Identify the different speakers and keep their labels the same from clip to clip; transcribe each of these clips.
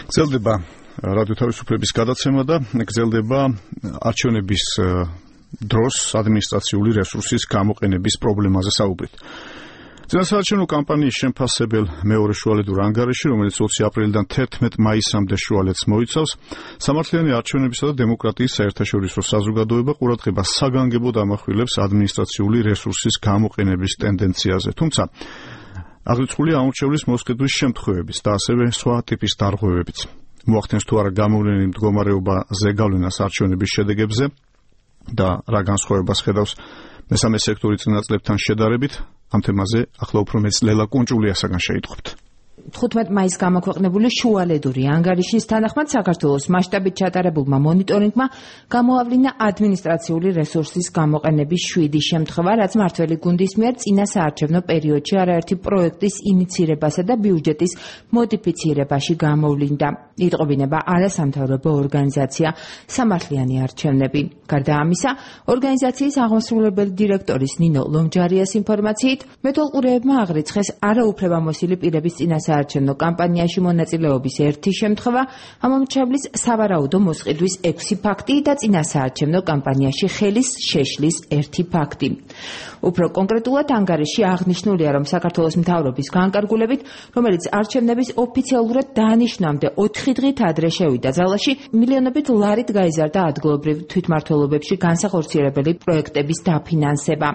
Speaker 1: გრძელდება რადიო თავისუფლების გადაცემა და გრძელდება არჩევნების დროს ადმინისტრაციული რესურსის გამოყენების პრობლემაზე საუბრით. წინასაარჩევნო კამპანიის შემფასებელ მეორე შუალედურ ანგარიში, რომელიც 20 აპრილიდან 11 მაისამდე შუალედს მოიცავს, სამართლიანი არჩევნებისა და დემოკრატიის საერთაშორისო საზოგადოება ყურადღებას საგანგებოდ ამახვილებს ადმინისტრაციული რესურსის გამოყენების ტენდენციაზე. თუმცა აღრიცხულია ამორჩევლის მოსყიდვის შემთხვევების და ასევე სხვა ტიპის დარღვევებიც. მოახდენს თუ არა გამოვლენილი მდგომარეობა ზეგავლენას არჩევნების შედეგებზე და რა განსხვავებას ხედავს მესამე სექტორის წინაწლებთან შედარებით, ამ თემაზე ახლა უფრო მეც ლელა კუნჭულიასაგან შეიტყვებთ.
Speaker 2: 15 მაისს გამოქვეყნებული შუალედური ანგარიშის თანახმად საქართველოს მასშტაბით ჩატარებულმა მონიტორინგმა გამოავლინა ადმინისტრაციული რესურსის გამოყენების 7 შემთხვევა, რაც მმართველი გუნდის მიერ წინა საარჩევნო პერიოდში არაერთი პროექტის ინიცირებასა და ბიუჯეტის მოდიფიცირებაში გამოვლინდა. იტყობინება არასამთავრობო ორგანიზაცია სამართლიანი არჩევნები. გარდა ამისა, ორგანიზაციის აღმასრულებელი დირექტორის ნინო ლომჯარიას ინფორმაციით, მეთვალყურეებმა აღრიცხეს არაუფლებამოსილი პირების წინა საარჩევნო კამპანიაში მონაწილეობის 1 შემთხვევა, ამომრჩევლის სავარაუდო მოსყიდვის 6 ფაქტი და წინა საარჩევნო კამპანიაში ხელის შეშლის 1 ფაქტი. უფრო კონკრეტულად ანგარიში აღნიშნულია, რომ საქართველოს მთავრობის განკარგულებით, რომელიც არჩევნების ოფიციალურად დაანიშნამდე 4 დღით ადრე შევიდა ძალაში, მილიონობით ლარით გაიზარდა ადგილობრივ თვითმმართველობებში განსახორციელებელი პროექტების დაფინანსება.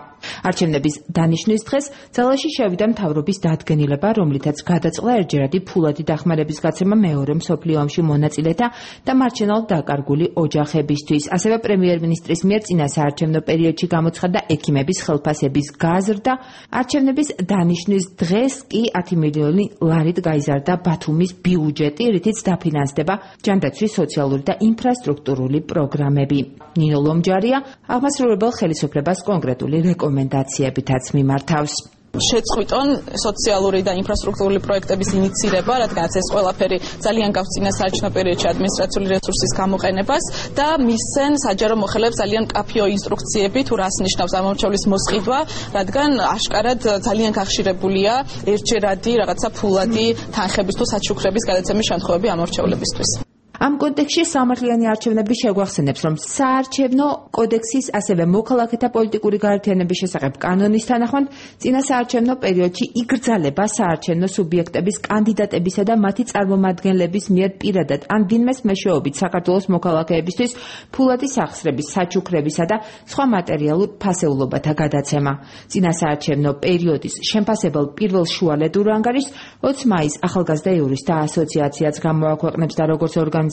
Speaker 2: არჩევნების დანიშნვის დღეს ძალაში შევიდა მთავრობის დადგენილება, რომლითაც გადაწყდა ერთჯერადი ფულადი დახმარების გაცემა მეორე მსოფლიო ომში მონაწილეთა და მარჩენალ დაკარგული ოჯახებისთვის. ასევე პრემიერ-მინისტრის მიერ წინა საარჩევნო პერიოდში გამოცხადდა ექიმების ხელფასების გაზრდა. არჩევნების დანიშნვის დღეს კი 10 მილიონი ლარით გაიზარდა ბათუმის ბიუჯეტი, რითიც დაფინანსდება ჯანდაცვის სოციალური და ინფრასტრუქტურული პროგრამები. ნინო ლომჯარია აღმასრულებელ ხელისუფლებას კონკრეტული რეკომენდაციებითაც მიმართავს.
Speaker 3: შეწყვიტონ სოციალური და ინფრასტრუქტურული პროექტების ინიცირება, რადგანაც ეს ყველაფერი ძალიან გავს წინა საარჩევნო პერიოდში ადმინისტრაციული რესურსის გამოყენებას და მისცენ საჯარო მოხელეებს ძალიან მკაფიო ინსტრუქციები თუ რას ნიშნავს ამორჩევლის მოსყიდვა, რადგან აშკარად ძალიან გახშირებულია ერთჯერადი რაღაცა ფულადი თანხების თუ საჩუქრების გადაცემის შემთხვევები ამორჩევლებისთვის.
Speaker 2: ამ კონტექსტში სამართლიანი არჩევნები შეგვახსენებს, რომ საარჩევნო კოდექსის ასევე მოქალაქეთა პოლიტიკური გაერთიანების შესახებ კანონის თანახმად წინა საარჩევნო პერიოდში იგრძალება საარჩევნო სუბიექტების კანდიდატებისა და მათი წარმომადგენლების მიერ პირადად ან ვინმეს მეშვეობით საქართველოს მოქალაქეებისთვის ფულადი სახსრების, საჩუქრებისა და სხვა მატერიალურ ფასეულობათა გადაცემა. წინა საარჩევნო პერიოდის შემფასებელ პირველ შუალედურ ანგარიშს 20 მაისს ახალგაზრდა იურისტთა ასოციაციაც გამოაქვეყნებს და როგორც ორგანიზაციის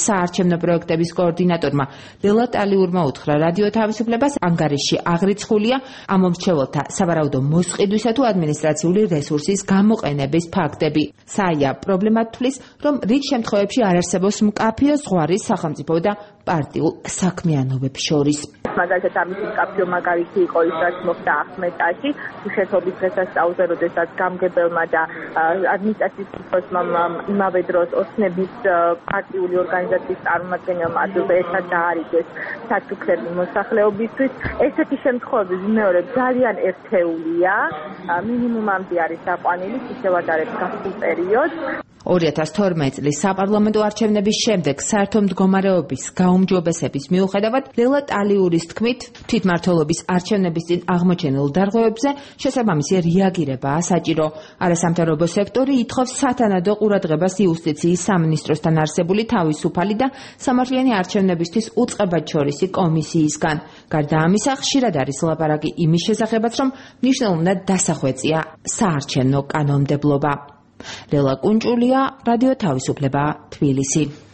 Speaker 2: საარჩევნო პროექტების კოორდინატორმა ლელა ტალიურმა უთხრა რადიო თავისუფლებას, ანგარიში აღრიცხულია ამომრჩეველთა სავარაუდო მოსყიდვისა თუ ადმინისტრაციული რესურსის გამოყენების ფაქტები. საია პრობლემად თვლის, რომ რიგ შემთხვევებში არ არსებობს მკაფიო ზღვარი სახელმწიფო და პარტიულ საქმიანობებს შორის.
Speaker 4: მაგალითად ამის მკაფიო მაგალითი იყო ის, რაც მოხდა ახმეტაში, უშეშობის დღესასწაულზე, როდესაც გამგებელმა და ადმინისტრაციის უფროსმა იმავე დროს ოცნების პარტიული ორგანიზაციის წარმომადგენელმა ადვილად ერთად დაარიგეს საჩუქრები მოსახლეობისთვის. ესეთი შემთხვევები მეორე ძალიან ერთეულია, მინიმუმამდე არის დაყვანილი, ისევ არის გასულ პერიოდს.
Speaker 2: 2012 წლის საპარლამენტო არჩევნების შემდეგ საერთო მდგომარეობის გაუმჯობესების მიუხედავად, ლელა ტალიურის თქმით, თვითმმართველობის არჩევნების წინ აღმოჩენილ დარღვევებზე შესაბამისი რეაგირებაა საჭირო. არასამთავრობო სექტორი ითხოვს სათანადო ყურადღებას იუსტიციის სამინისტროსთან არსებული თავისუფალი და სამართლიანი არჩევნებისთვის უწყებადშორისი კომისიისგან. გარდა ამისა, ხშირად არის ლაპარაკი იმის შესახებაც, რომ მნიშვნელოვნად დასახვეწია საარჩევნო კანონმდებლობა. ლელა კუნჭულია, რადიო თავისუფლება, თბილისი.